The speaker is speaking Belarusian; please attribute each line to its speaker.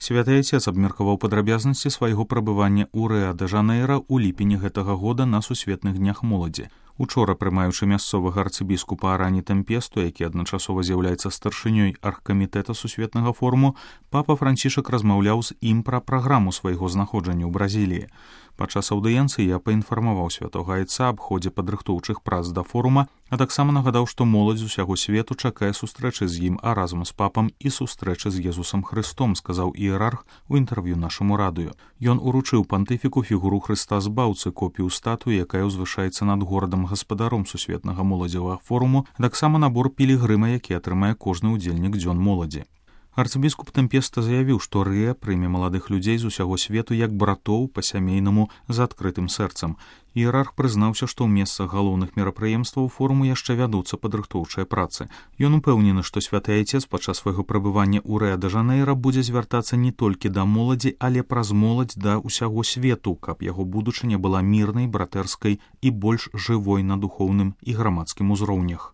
Speaker 1: Святы Айцец абмеркаваў падрабязнасці свайго прабывання ў Рыа-дэ-Жанэйра ў ліпені гэтага года на сусветных днях моладзі. Учора, прымаючы мясцовага арцыбіскупа Арані Тэмпесту, які адначасова з'яўляецца старшынёй аргкамітэта сусветнага форуму, папа Францішак размаўляў з ім пра праграму свайго знаходжання ў Бразіліі. Падчас аўдыенцыі я паінфармаваў святога Айца аб ходзе падрыхтоўчых прац да форума, а таксама нагадаў, што моладзь з усяго свету чакае сустрэчы з ім, а разам з папам і сустрэчы з Езусам Хрыстом, сказаў іерарх у інтэрв'ю нашаму радыё. Ён уручыў пантыфіку фігуру Хрыста Збаўцы, копію статуі, якая ўзвышаецца над горадам-гаспадаром сусветнага моладзевага форуму, а таксама набор пілігрыма, які атрымае кожны ўдзельнік дзён моладзі. Арцыбіскуп Тэмпеста заявіў, што Рыа прыме маладых людзей з усяго свету як братоў па-сямейнаму з адкрытым сэрцам. Іерарх прызнаўся, што ў месцах галоўных мерапрыемстваў форуму яшчэ вядуцца падрыхтоўчыя працы. Ён упэўнены, што святы Айцец падчас свайго прабывання ў Рыа-дэ-Жанэйра будзе звяртацца не толькі да моладзі, але праз моладзь да ўсяго свету, каб яго будучыня была мірнай, братэрскай і больш жывой на духоўным і грамадскім узроўнях.